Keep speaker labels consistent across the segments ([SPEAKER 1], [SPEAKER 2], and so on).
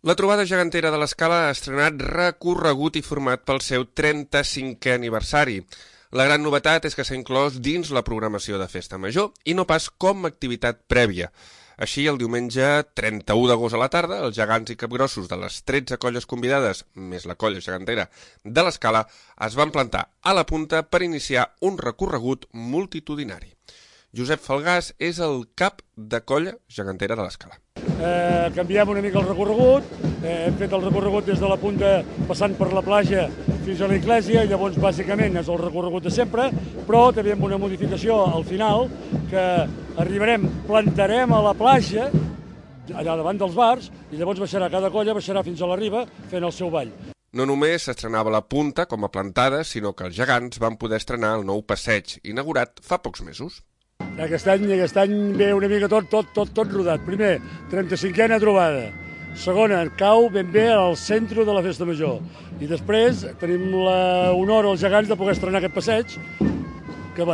[SPEAKER 1] La trobada gegantera de l'Escala ha estrenat recorregut i format pel seu 35è aniversari. La gran novetat és que s'ha inclòs dins la programació de Festa Major i no pas com a activitat prèvia. Així, el diumenge 31 d'agost a la tarda, els gegants i capgrossos de les 13 colles convidades, més la colla gegantera de l'Escala, es van plantar a la punta per iniciar un recorregut multitudinari. Josep Falgàs és el cap de colla gegantera de l'Escala.
[SPEAKER 2] Canviem una mica el recorregut, hem fet el recorregut des de la punta passant per la platja fins a l'església, llavors bàsicament és el recorregut de sempre, però també amb una modificació al final, que plantarem a la platja, allà davant dels bars, i llavors cada colla baixarà fins a la riba fent el seu ball.
[SPEAKER 1] No només s'estrenava la punta com a plantada, sinó que els gegants van poder estrenar el nou passeig, inaugurat fa pocs mesos.
[SPEAKER 2] Aquest any ve una mica tot rodat. Primer, 35a trobada. Segona, cau ben bé al centre de la Festa Major. I després tenim l'honor als gegants de poder estrenar aquest passeig, que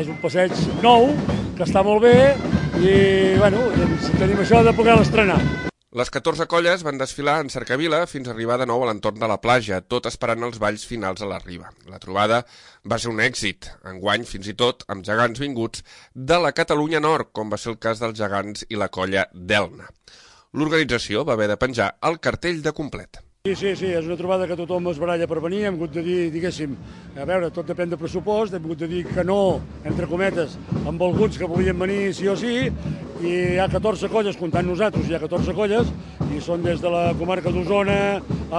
[SPEAKER 2] és un passeig nou, que està molt bé, i tenim això de poder l'estrenar.
[SPEAKER 1] Les 14 colles van desfilar en cercavila fins a arribar de nou a l'entorn de la platja, tot esperant els balls finals a la riba. La trobada va ser un èxit, enguany fins i tot amb gegants vinguts de la Catalunya Nord, com va ser el cas dels gegants i la colla d'Elna. L'organització va haver de penjar el cartell de complet.
[SPEAKER 2] Sí, és una trobada que tothom es baralla per venir, hem hagut de dir, diguéssim, a veure, tot depèn de pressupost, hem hagut de dir que no, entre cometes, amb alguns que volien venir sí o sí, i hi ha 14 colles, comptant nosaltres, hi ha 14 colles, i són des de la comarca d'Osona,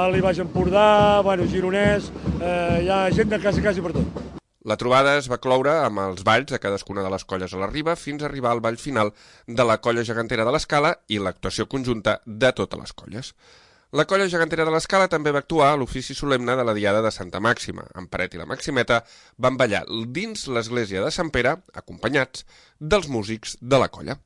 [SPEAKER 2] Alt i Baix Empordà, Gironès, hi ha gent de quasi per tot.
[SPEAKER 1] La trobada es va cloure amb els balls de cadascuna de les colles a la riba fins a arribar al ball final de la colla gegantera de l'Escala i l'actuació conjunta de totes les colles. La colla gegantera de l'Escala també va actuar a l'ofici solemne de la Diada de Santa Màxima. En Peret i la Maximeta van ballar dins l'església de Sant Pere, acompanyats dels músics de la colla.